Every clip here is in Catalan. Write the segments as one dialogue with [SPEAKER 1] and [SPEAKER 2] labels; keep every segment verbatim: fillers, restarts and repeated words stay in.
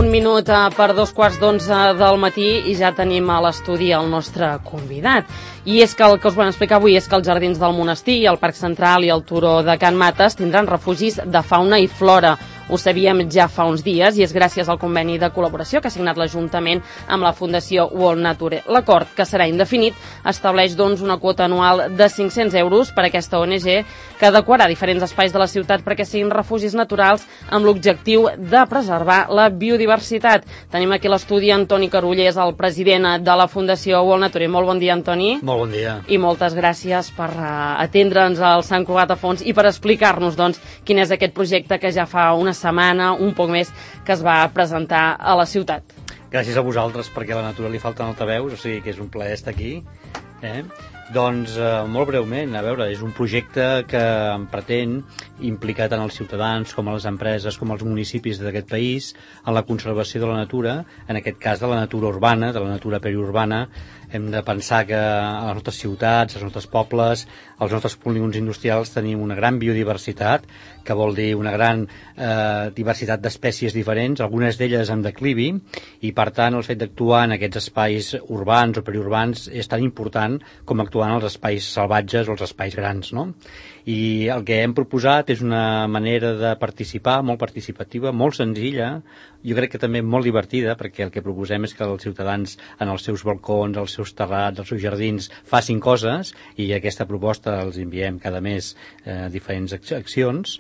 [SPEAKER 1] Un minut per dos quarts d'onze del matí i ja tenim a l'estudi el nostre convidat. I és que el que us volem explicar avui és que els Jardins del Monestir, el Parc Central i el Turó de Can Mates tindran refugis de fauna i flora. Ho sabíem ja fa uns dies i és gràcies al conveni de col·laboració que ha signat l'Ajuntament amb la Fundació World Nature. L'acord, que serà indefinit, estableix doncs una quota anual de cinc-cents euros per a aquesta O N G que adequarà diferents espais de la ciutat perquè siguin refugis naturals amb l'objectiu de preservar la biodiversitat. Tenim aquí a l'estudi Antoni Carullers, el president de la Fundació World Nature. Molt bon dia, Antoni.
[SPEAKER 2] Molt bon dia.
[SPEAKER 1] I moltes gràcies per uh, atendre'ns al Sant Cugat a fons i per explicar-nos doncs, quin és aquest projecte que ja fa una setmana, un poc més, que es va presentar a la ciutat.
[SPEAKER 2] Gràcies a vosaltres, perquè a la natura li falten altaveus, o sigui que és un plaer estar aquí. Eh? Doncs, eh, molt breument, a veure, és un projecte que pretén implicar tant els ciutadans com a les empreses com als municipis d'aquest país en la conservació de la natura, en aquest cas de la natura urbana, de la natura periurbana. Hem de pensar que a les nostres ciutats, als nostres pobles, als nostres polígons industrials tenim una gran biodiversitat, que vol dir una gran eh, diversitat d'espècies diferents, algunes d'elles en declivi, i per tant el fet d'actuar en aquests espais urbans o periurbans és tan important com actuar en els espais salvatges o els espais grans, no? I el que hem proposat és una manera de participar molt participativa, molt senzilla, jo crec que també molt divertida, perquè el que proposem és que els ciutadans en els seus balcons, els seus terrats, els seus jardins facin coses, i aquesta proposta els enviem cada mes eh, diferents accions,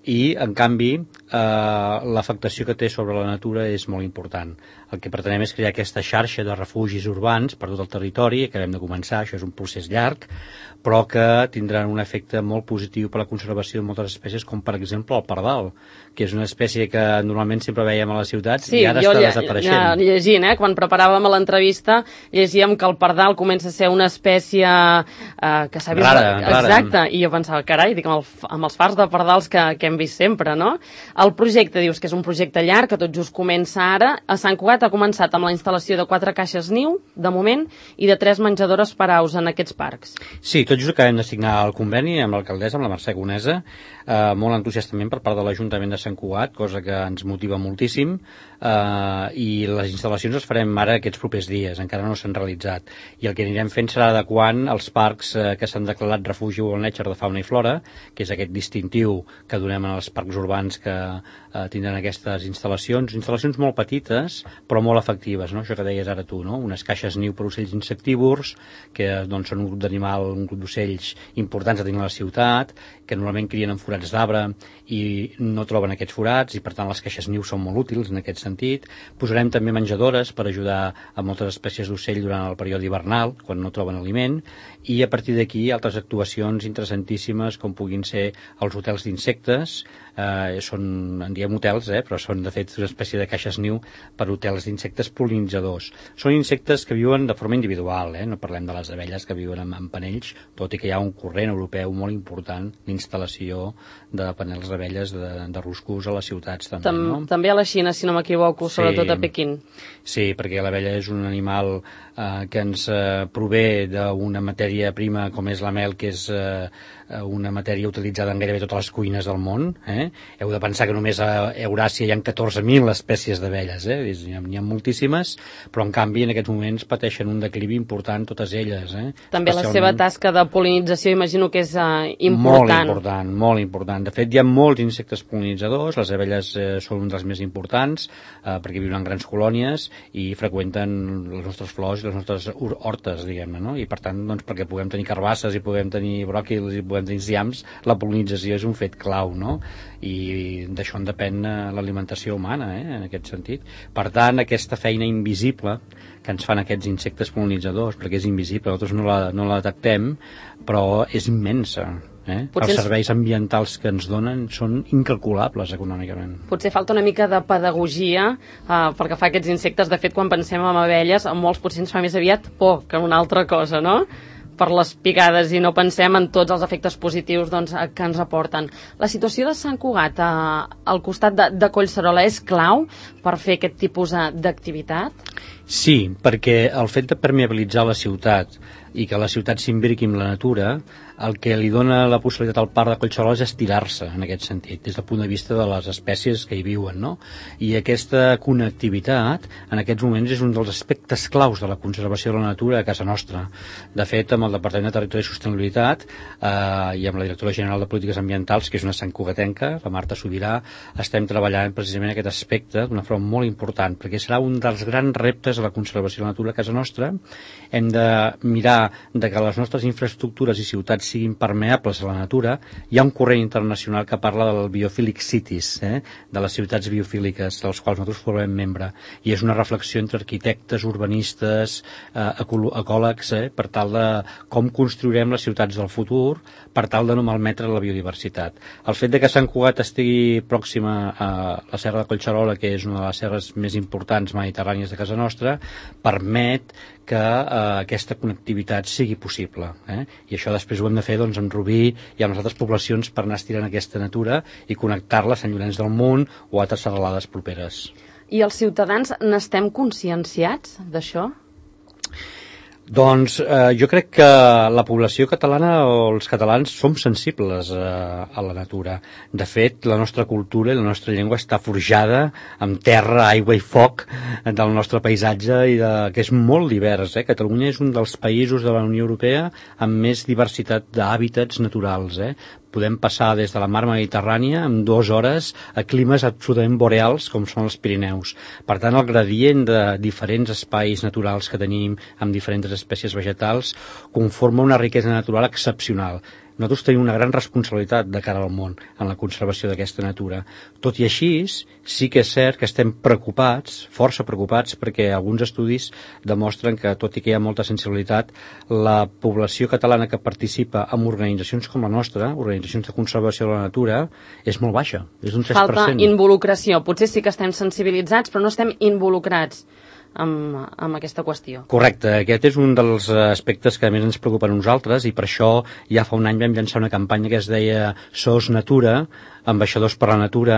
[SPEAKER 2] i en canvi eh, l'afectació que té sobre la natura és molt important. El que pretenem és crear aquesta xarxa de refugis urbans per tot el territori, acabem de començar, això és un procés llarg, però que tindran un efecte molt positiu per a la conservació de moltes espècies, com per exemple el pardal, que és una espècie que normalment sempre veiem a les ciutats, sí, i ara està desapareixent.
[SPEAKER 1] Sí, jo llegint, eh, quan preparàvem l'entrevista, llegíem que el pardal comença a ser una espècie eh, que s'ha vist...
[SPEAKER 2] Rara, rara.
[SPEAKER 1] Exacte, i jo pensava, carai, dic, amb, el, amb els fars de pardals que, que hem vist sempre, no? El projecte, dius que és un projecte llarg, que tot just comença ara. A Sant Cugat ha començat amb la instal·lació de quatre caixes niu, de moment, i de tres menjadores per aus en aquests parcs.
[SPEAKER 2] Sí, tot just acabem de signar el conveni amb l'alcaldessa, amb la Mercè Conesa, eh, molt entusiastament per part de l'Ajuntament de Sant Cugat, cosa que ens motiva moltíssim, eh, i les instal·lacions les farem ara aquests propers dies, encara no s'han realitzat, i el que anirem fent serà adequant els parcs eh, que s'han declarat refugi World Nature de fauna i flora, que és aquest distintiu que donem en els parcs urbans que eh, tindran aquestes instal·lacions, instal·lacions molt petites, però molt efectives, no? Això que deies ara tu, no? Unes caixes niu per ocells insectívors, que doncs, són un grup d'animal, un grup d'ocells importants a tenir a la ciutat, que normalment crien en forats d'arbre i no troben aquests forats, i per tant les caixes niu són molt útils en aquest sentit. Posarem també menjadores per ajudar a moltes espècies d'ocell durant el període hivernal, quan no troben aliment, i a partir d'aquí altres actuacions interessantíssimes com puguin ser els hotels d'insectes, eh, són, en diem hotels, eh, però són de fet una espècie de caixes niu per hotels d'insectes pol·linitzadors. Són insectes que viuen de forma individual, eh? No parlem de les abelles que viuen en, en panells, tot i que hi ha un corrent europeu molt important d'instal·lació de panels d'abelles de, de ruscos a les ciutats també,
[SPEAKER 1] Tam,
[SPEAKER 2] no?
[SPEAKER 1] També a la Xina, si no m'equivoco,
[SPEAKER 2] Sí.
[SPEAKER 1] sobretot a Pequín.
[SPEAKER 2] Sí, perquè l'abella és un animal eh, que ens eh, prové d'una matèria prima com és la mel, que és eh, una matèria utilitzada en gairebé totes les cuines del món. Eh? Heu de pensar que només a Euràsia hi ha catorze mil espècies d'abelles, eh? N'hi ha, n'hi ha moltíssimes, però en canvi en aquests moments pateixen un declivi important totes elles. Eh?
[SPEAKER 1] També
[SPEAKER 2] Especialment...
[SPEAKER 1] la seva tasca de pol·linització imagino que és uh, important.
[SPEAKER 2] Molt important, molt important. De fet, hi ha molts insectes pol·linitzadors, les abelles eh, són un dels més importants, eh, perquè viuen en grans colònies i freqüenten les nostres flors i les nostres hortes, diguem-ne, no? I per tant, doncs, perquè puguem tenir carbasses i puguem tenir bròquils i puguem tenir enciams, la pol·linització és un fet clau, no? I d'això en depèn eh, l'alimentació humana, eh, en aquest sentit. Per tant, aquesta feina invisible que ens fan aquests insectes pol·linitzadors, perquè és invisible, nosaltres no la, no la detectem, però és immensa. Eh? Els serveis ambientals que ens donen són incalculables econòmicament.
[SPEAKER 1] Potser falta una mica de pedagogia uh, perquè fa aquests insectes. De fet, quan pensem en abelles, a molts potser ens fa més aviat por que una altra cosa, no? Per les picades, i no pensem en tots els efectes positius doncs, que ens aporten. La situació de Sant Cugat uh, al costat de, de Collserola és clau per fer aquest tipus d'activitat?
[SPEAKER 2] Sí, perquè el fet de permeabilitzar la ciutat i que la ciutat s'imbriqui amb la natura el que li dona la possibilitat al parc de Collserola és estirar-se en aquest sentit, des del punt de vista de les espècies que hi viuen, no? I aquesta connectivitat en aquests moments és un dels aspectes claus de la conservació de la natura a casa nostra. De fet, amb el Departament de Territori i Sostenibilitat eh, i amb la Directora General de Polítiques Ambientals, que és una santcugatenca, la Marta Sobirà, estem treballant precisament aquest aspecte d'una forma molt important, perquè serà un dels grans reptes de la conservació de la natura a casa nostra. Hem de mirar de que les nostres infraestructures i ciutats siguin permeables a la natura. Hi ha un corrent internacional que parla del Biophilic Cities, eh? de les ciutats biofíliques, dels quals nosaltres formem membre, i és una reflexió entre arquitectes, urbanistes, eh, ecòlegs, eh? per tal de com construirem les ciutats del futur, per tal de no malmetre la biodiversitat. El fet de que Sant Cugat estigui pròxima a la Serra de Collserola, que és una de les serres més importants mediterrànies de casa nostra, permet que eh, aquesta connectivitat sigui possible. Eh? I això després ho hem de fer doncs, amb Rubí i amb les altres poblacions per anar estirant aquesta natura i connectar-la a Sant Llorenç del Munt o a altres serralades properes.
[SPEAKER 1] I els ciutadans n'estem conscienciats d'això?
[SPEAKER 2] Doncs eh, jo crec que la població catalana o els catalans som sensibles eh, a la natura. De fet, la nostra cultura i la nostra llengua està forjada amb terra, aigua i foc del nostre paisatge, i de, que és molt divers. Eh? Catalunya és un dels països de la Unió Europea amb més diversitat d'hàbitats naturals. Eh? Podem passar des de la mar Mediterrània en dues hores a climes absolutament boreals com són els Pirineus. Per tant, el gradient de diferents espais naturals que tenim amb diferents espècies vegetals conforma una riquesa natural excepcional. Nosaltres tenim una gran responsabilitat de cara al món en la conservació d'aquesta natura. Tot i així, sí que és cert que estem preocupats, força preocupats, perquè alguns estudis demostren que, tot i que hi ha molta sensibilitat, la població catalana que participa en organitzacions com la nostra, organitzacions de conservació de la natura, és molt baixa, és un tres per cent.
[SPEAKER 1] Falta involucració. Potser sí que estem sensibilitzats, però no estem involucrats amb, amb aquesta qüestió.
[SPEAKER 2] Correcte, aquest és un dels aspectes que a més ens preocupa a nosaltres, i per això ja fa un any vam llançar una campanya que es deia Sos Natura, ambaixadors per la natura,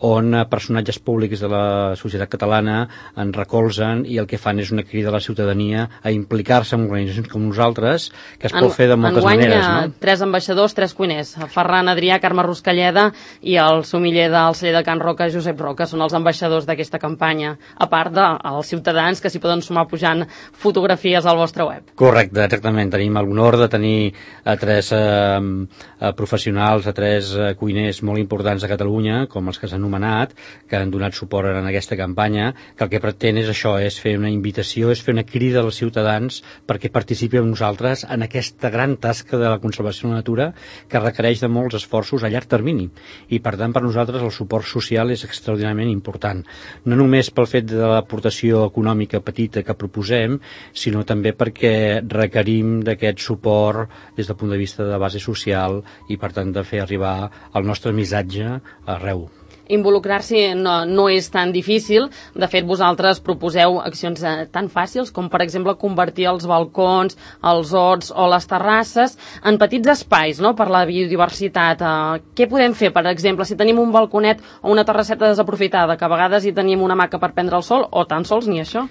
[SPEAKER 2] on personatges públics de la societat catalana en recolzen i el que fan és una crida a la ciutadania a implicar-se en organitzacions com nosaltres, que es en, pot fer de moltes
[SPEAKER 1] enguany,
[SPEAKER 2] maneres. No?
[SPEAKER 1] Tres ambaixadors, tres cuiners, Ferran Adrià, Carme Ruscalleda i el somiller del celler de Can Roca, Josep Roca, són els ambaixadors d'aquesta campanya, a part dels ciutadans que s'hi poden sumar pujant fotografies al vostre web.
[SPEAKER 2] Correcte, exactament. Tenim l'honor de tenir a tres eh, professionals, a tres eh, cuiners molt importants importants de Catalunya, com els que s'han anomenat, que han donat suport en aquesta campanya, que el que pretén és això, és fer una invitació, és fer una crida als ciutadans perquè participin amb nosaltres en aquesta gran tasca de la conservació de la natura que requereix de molts esforços a llarg termini. I per tant, per nosaltres el suport social és extraordinàriament important. No només pel fet de l'aportació econòmica petita que proposem, sinó també perquè requerim d'aquest suport des del punt de vista de base social i per tant de fer arribar el nostre missatge arreu.
[SPEAKER 1] Involucrar-s'hi no, no és tan difícil. De fet, vosaltres proposeu accions eh, tan fàcils com, per exemple, convertir els balcons, els horts o les terrasses en petits espais, no?, per la biodiversitat. Eh, què podem fer, per exemple, si tenim un balconet o una terrasseta desaprofitada, que a vegades hi tenim una hamaca per prendre el sol, o tan sols ni això?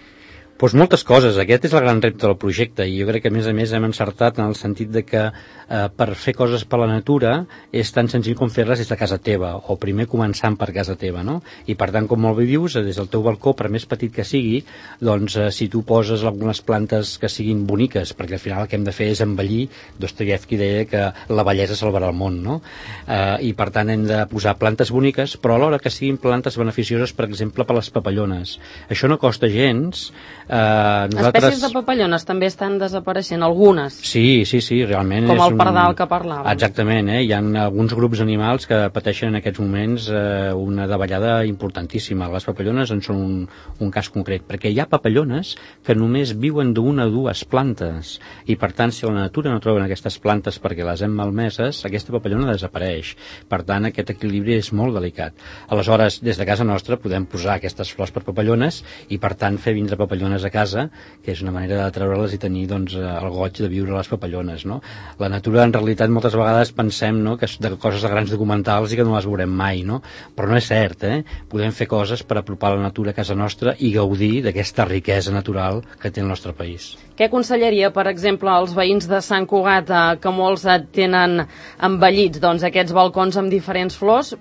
[SPEAKER 2] Doncs moltes coses. Aquest és el gran repte del projecte, i jo crec que a més a més hem encertat en el sentit de que eh, per fer coses per la natura és tan senzill com fer-les des de casa teva, o primer començant per casa teva, no? I per tant, com molt bé dius, des del teu balcó, per més petit que sigui, doncs eh, si tu poses algunes plantes que siguin boniques, perquè al final el que hem de fer és embellir, Dostoievski deia que la bellesa salvarà el món, no? Eh, I per tant hem de posar plantes boniques, però alhora que siguin plantes beneficioses, per exemple, per les papallones. Això no costa gens. Uh, nosaltres...
[SPEAKER 1] Espècies de papallones també estan desapareixent, algunes.
[SPEAKER 2] Sí, sí, sí, realment.
[SPEAKER 1] Com
[SPEAKER 2] és
[SPEAKER 1] el pardal un... que parlàvem.
[SPEAKER 2] Exactament, eh? Hi ha alguns grups animals que pateixen en aquests moments eh, una davallada importantíssima. Les papallones en són un, un cas concret, perquè hi ha papallones que només viuen d'una o dues plantes, i per tant, si a la natura no troben aquestes plantes perquè les hem malmeses, aquesta papallona desapareix. Per tant, aquest equilibri és molt delicat. Aleshores, des de casa nostra podem posar aquestes flors per papallones i per tant fer vindre papallones papallones a casa, que és una manera de treure-les i tenir doncs, el goig de viure les papallones, no? La natura, en realitat, moltes vegades pensem, no?, que és de coses de grans documentals i que no les veurem mai, no? Però no és cert, eh? Podem fer coses per apropar la natura a casa nostra i gaudir d'aquesta riquesa natural que té el nostre país.
[SPEAKER 1] Què aconsellaria, per exemple, als veïns de Sant Cugat, eh, que molts tenen embellits doncs, aquests balcons amb diferents flors?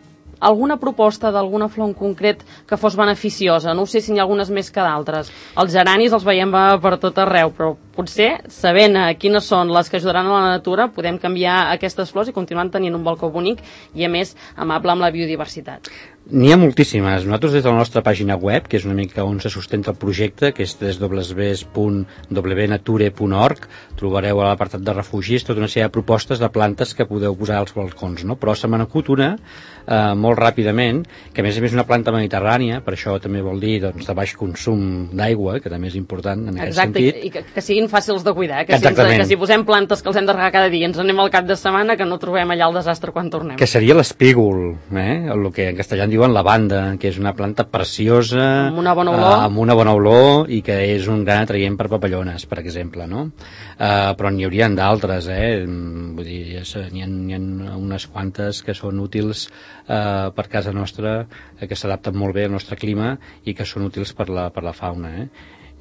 [SPEAKER 1] Alguna proposta d'alguna flor en concret que fos beneficiosa? No sé si n'hi ha algunes més que d'altres. Els geranis els veiem per tot arreu, però potser, sabent quines són les que ajudaran a la natura, podem canviar aquestes flors i continuar tenint un balcó bonic i, a més, amable amb la biodiversitat.
[SPEAKER 2] N'hi ha moltíssimes. Nosaltres, des de la nostra pàgina web, que és una mica on se sustenta el projecte, que és w w w punt w nature punt org, trobareu a l'apartat de refugis tota una sèrie de propostes de plantes que podeu posar als balcons, no? Però se me n'acut una eh, molt ràpidament, que a més a més és una planta mediterrània, per això també vol dir doncs, de baix consum d'aigua, que també és important en aquest
[SPEAKER 1] Exacte,
[SPEAKER 2] sentit.
[SPEAKER 1] i que, que siguin fàcils de cuidar, eh? que, si ens, que si posem plantes que els hem de regar cada dia i ens anem al cap de setmana, que no trobem allà el desastre quan tornem.
[SPEAKER 2] Que seria l'espígol, eh? El que en castellà diuen lavanda, que és una planta preciosa,
[SPEAKER 1] amb una bona olor,
[SPEAKER 2] uh, amb una bona olor i que és un gran atraient per papallones, per exemple, no? Uh, però n'hi haurien d'altres, eh? Vull dir, n'hi ha, n'hi ha unes quantes que són útils uh, per casa nostra, eh, que s'adapten molt bé al nostre clima i que són útils per la, per la fauna, eh?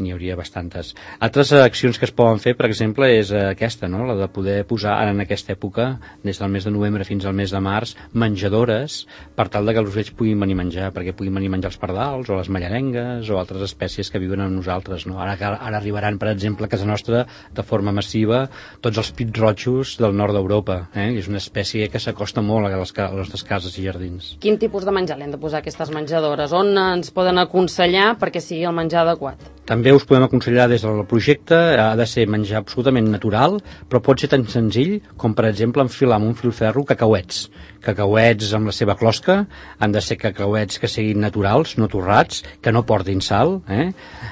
[SPEAKER 2] N'hi hauria bastantes. Altres accions que es poden fer, per exemple, és aquesta, no? La de poder posar, ara en aquesta època, des del mes de novembre fins al mes de març, menjadores per tal de que els ocells puguin venir a menjar, perquè puguin venir a menjar els pardals o les mallarengues o altres espècies que viuen amb nosaltres, no? Ara, ara arribaran, per exemple, a casa nostra de forma massiva tots els pit-roixos del nord d'Europa, eh? És una espècie que s'acosta molt a les, a les nostres cases i jardins.
[SPEAKER 1] Quin tipus de menjar l'hem de posar aquestes menjadores? On ens poden aconsellar perquè sigui el menjar adequat?
[SPEAKER 2] També us podem aconsellar des del projecte, ha de ser menjar absolutament natural, però pot ser tan senzill com, per exemple, enfilar amb un filferro cacauets. Cacauets amb la seva closca, han de ser cacauets que siguin naturals, no torrats, que no portin sal, eh?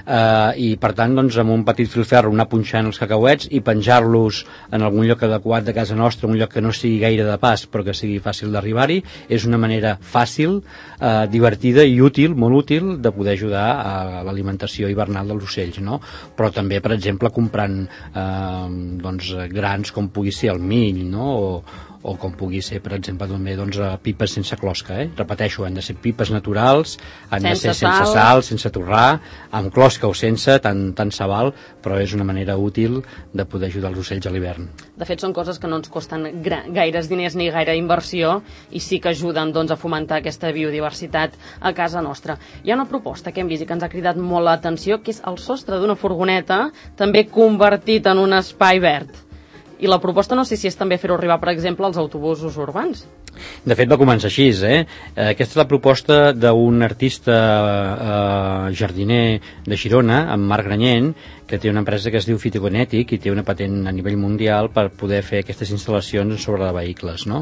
[SPEAKER 2] Uh, i per tant, doncs, amb un petit filferro anar punxant els cacauets i penjar-los en algun lloc adequat de casa nostra, un lloc que no sigui gaire de pas, però que sigui fàcil d'arribar-hi, és una manera fàcil, uh, divertida i útil, molt útil, de poder ajudar a l'alimentació hivernal dels ocells, no? Però també, per exemple, comprant eh, doncs, grans com pugui ser el mill, no? O, o com pugui ser, per exemple, també, doncs, pipes sense closca, eh? Repeteixo, han de ser pipes naturals, han sense de ser sense sal, sal sense torrar, amb closca o sense, tant, tant se val, però és una manera útil de poder ajudar els ocells a l'hivern.
[SPEAKER 1] De fet, són coses que no ens costen gaires diners ni gaire inversió i sí que ajuden doncs, a fomentar aquesta biodiversitat a casa nostra. Hi ha una proposta que hem vist i que ens ha cridat molt l'atenció, que és el sostre d'una furgoneta, també convertit en un espai verd. I la proposta no sé si és també fer-ho arribar, per exemple, als autobusos urbans.
[SPEAKER 2] De fet, va començar així, eh? Aquesta és la proposta d'un artista eh, jardiner de Girona, en Marc Granyent, que té una empresa que es diu Fitogenètic i té una patent a nivell mundial per poder fer aquestes instal·lacions sobre de vehicles, no?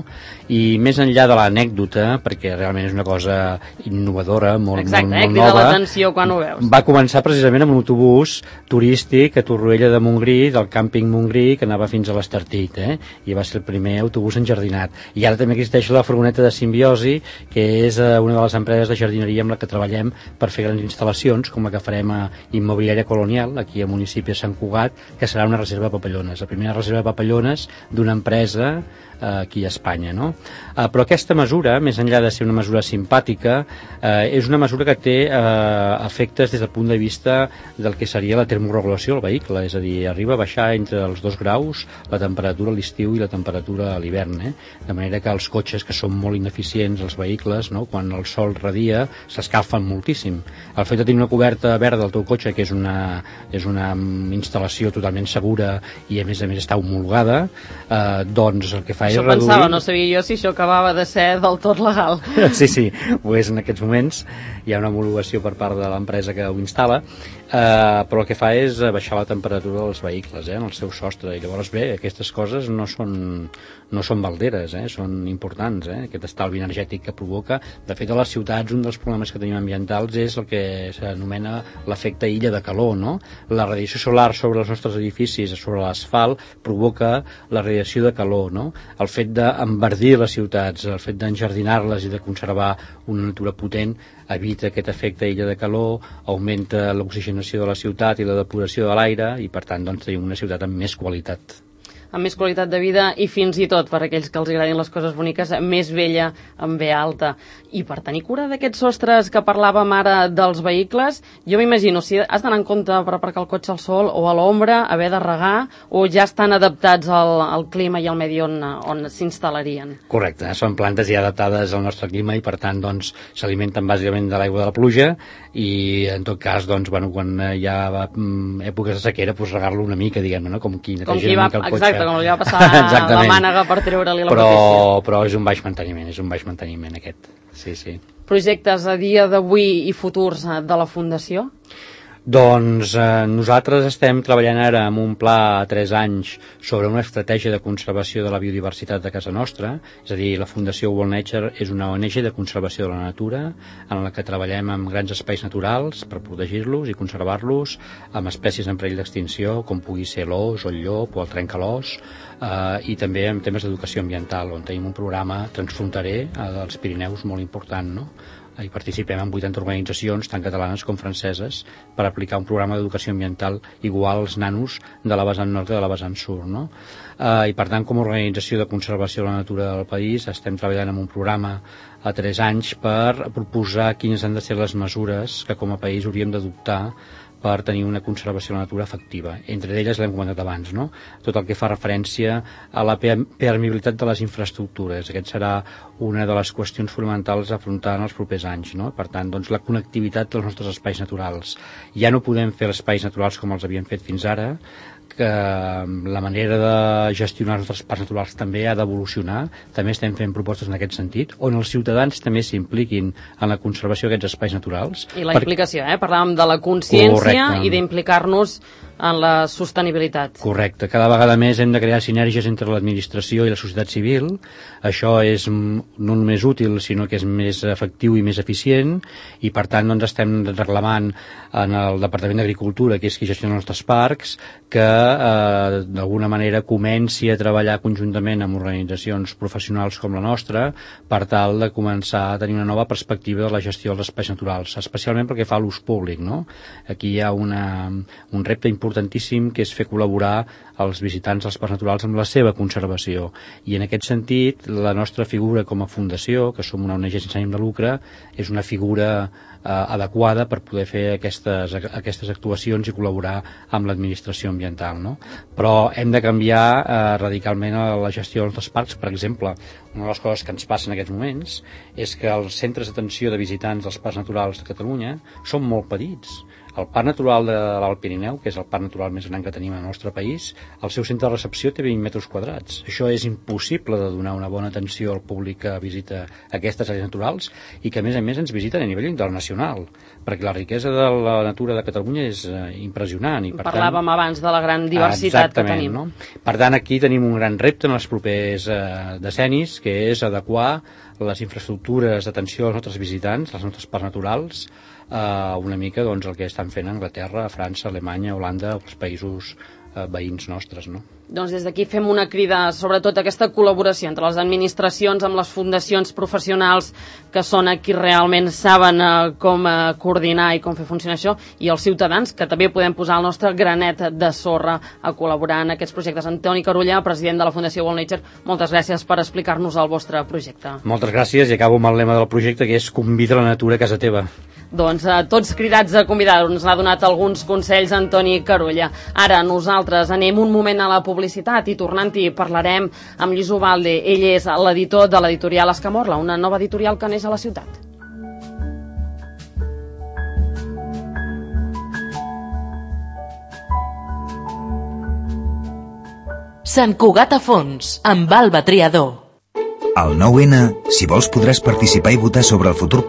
[SPEAKER 2] I més enllà de l'anècdota, perquè realment és una cosa innovadora, molt,
[SPEAKER 1] Exacte,
[SPEAKER 2] molt,
[SPEAKER 1] eh?
[SPEAKER 2] molt
[SPEAKER 1] Crida
[SPEAKER 2] nova,
[SPEAKER 1] l'atenció quan ho veus.
[SPEAKER 2] Va començar precisament amb un autobús turístic a Torroella de Montgrí, del càmping Montgrí, que anava fins a l'Estartit, eh? I va ser el primer autobús enjardinat. I ara també existeix la furgoneta de Simbiosi, que és una de les empreses de jardineria amb la que treballem per fer grans instal·lacions, com la que farem a Immobiliària Colonial, aquí a municipi de Sant Cugat, que serà una reserva de papallones, la primera reserva de papallones d'una empresa eh, aquí a Espanya, no? Eh, però aquesta mesura, més enllà de ser una mesura simpàtica, eh, és una mesura que té eh, efectes des del punt de vista del que seria la termorregulació del vehicle, és a dir, arriba a baixar entre els dos graus la temperatura a l'estiu i la temperatura a l'hivern, eh? De manera que els cotxes, que són molt ineficients, els vehicles, no? Quan el sol radia, s'escalfen moltíssim. El fet de tenir una coberta verda al teu cotxe, que és una, és una instal·lació totalment segura i a més a més està homologada, eh, doncs el que fa
[SPEAKER 1] això
[SPEAKER 2] és reduir...
[SPEAKER 1] pensava, no sabia jo si això acabava de ser del tot legal.
[SPEAKER 2] Sí, sí, ho és en aquests moments, hi ha una homologació per part de l'empresa que ho instal·la, eh, però el que fa és baixar la temperatura dels vehicles, eh, en el seu sostre, i llavors bé, aquest aquestes coses no són, no són balderes, eh? Són importants, eh? Aquest estalvi energètic que provoca. De fet, a les ciutats un dels problemes que tenim ambientals és el que s'anomena l'efecte illa de calor, no? La radiació solar sobre els nostres edificis, sobre l'asfalt, provoca la radiació de calor, no? El fet d'enverdir les ciutats, el fet d'enjardinar-les i de conservar una natura potent evita aquest efecte illa de calor, augmenta l'oxigenació de la ciutat i la depuració de l'aire i per tant doncs, tenim una ciutat amb més qualitat.
[SPEAKER 1] Amb més qualitat de vida i fins i tot, per aquells que els agradin les coses boniques, més vella amb ve alta. I per tenir cura d'aquests sostres que parlàvem ara dels vehicles, jo m'imagino, si has d'anar en compte per aparcar el cotxe al sol o a l'ombra, haver de regar, o ja estan adaptats al, al clima i al medi on, on s'instal·larien?
[SPEAKER 2] Correcte, són plantes ja adaptades al nostre clima i per tant doncs, s'alimenten bàsicament de l'aigua de la pluja i en tot cas doncs, bueno, quan hi ha èpoques de sequera doncs, regar-lo una mica, diguem-ne, no? com qui neteja una mica el cotxe.
[SPEAKER 1] Exacte, com li va passar la mànega per treure-li la
[SPEAKER 2] però,
[SPEAKER 1] protegció.
[SPEAKER 2] Però és un baix manteniment, és un baix manteniment aquest. Sí, sí.
[SPEAKER 1] Projectes a dia d'avui i futurs de la Fundació?
[SPEAKER 2] Doncs eh, nosaltres estem treballant ara amb un pla a tres anys sobre una estratègia de conservació de la biodiversitat de casa nostra, és a dir, la Fundació World Nature és una O N G de conservació de la natura en la que treballem amb grans espais naturals per protegir-los i conservar-los amb espècies en perill d'extinció com pugui ser l'ós o el llop o el trencalòs eh, i també amb temes d'educació ambiental on tenim un programa transfronterer eh, dels Pirineus molt important, no? Hi participem en vuitanta organitzacions, tant catalanes com franceses, per aplicar un programa d'educació ambiental igual als nanos de la vessant nord i de la vessant sud, no? Eh, I per tant, com a organització de conservació de la natura del país, estem treballant en un programa a tres anys per proposar quines han de ser les mesures que com a país hauríem d'adoptar per tenir una conservació de la natura efectiva. Entre elles l'hem comentat abans, no? Tot el que fa referència a la permeabilitat de les infraestructures. Aquest serà una de les qüestions fonamentals a afrontar en els propers anys, no? Per tant, doncs, la connectivitat dels nostres espais naturals. Ja no podem fer espais naturals com els havíem fet fins ara, que la manera de gestionar els nostres parcs naturals també ha d'evolucionar. També estem fent propostes en aquest sentit, on els ciutadans també s'impliquin en la conservació d'aquests espais naturals.
[SPEAKER 1] I la per... implicació, eh? Parlàvem de la consciència. Correcte. I d'implicar-nos en la sostenibilitat.
[SPEAKER 2] Correcte. Cada vegada més hem de crear sinergies entre l'administració i la societat civil. Això és no només útil, sinó que és més efectiu i més eficient, i per tant doncs, estem reclamant en el Departament d'Agricultura, que és qui gestiona els nostres parcs, que eh, d'alguna manera comenci a treballar conjuntament amb organitzacions professionals com la nostra per tal de començar a tenir una nova perspectiva de la gestió dels espais naturals, especialment perquè fa l'ús públic, no? Aquí hi ha una, un repte importantíssim que és fer col·laborar els visitants dels parcs naturals amb la seva conservació, i en aquest sentit la nostra figura com a fundació, que som una O N G sense ànim de lucre, és una figura eh, adequada per poder fer aquestes, aquestes actuacions i col·laborar amb l'administració ambiental, no? Però hem de canviar eh, radicalment la gestió dels nostres parcs. Per exemple, una de les coses que ens passa en aquests moments és que els centres d'atenció de visitants dels parcs naturals de Catalunya són molt petits. El Parc Natural de l'Alt Pirineu, que és el parc natural més gran que tenim al nostre país, el seu centre de recepció té vint metres quadrats. Això és impossible de donar una bona atenció al públic que visita aquestes àrees naturals i que, a més a més, ens visiten a nivell internacional, perquè la riquesa de la natura de Catalunya és eh, impressionant. I, per
[SPEAKER 1] Parlàvem
[SPEAKER 2] tant,
[SPEAKER 1] abans de la gran diversitat que tenim.
[SPEAKER 2] No? Per tant, aquí tenim un gran repte en els propers eh, decennis, que és adequar les infraestructures d'atenció als nostres visitants, als nostres parcs naturals, Uh, una mica doncs, el que estan fent a Anglaterra, a França, Alemanya, Holanda, els països uh, veïns nostres, no?
[SPEAKER 1] Doncs des d'aquí fem una crida, sobretot aquesta col·laboració entre les administracions amb les fundacions professionals que són qui realment saben uh, com uh, coordinar i com fer funcionar això, i els ciutadans, que també podem posar el nostre granet de sorra a col·laborar en aquests projectes. Antoni Carulla, president de la Fundació World Nature, moltes gràcies per explicar-nos el vostre projecte.
[SPEAKER 2] Moltes gràcies, i acabo amb el lema del projecte, que és convida la natura a casa teva.
[SPEAKER 1] Doncs eh, tots cridats a convidar-nos. N'ha donat alguns consells Antoni Carulla. Ara nosaltres anem un moment a la publicitat i tornant-hi parlarem amb Lluís Ubalde. Ell és l'editor de l'editorial Escamorla, una nova editorial que neix a la ciutat.
[SPEAKER 3] Sant Cugat a fons, amb Alba Triador.
[SPEAKER 4] Al nou ene, si vols podràs participar i votar sobre el futur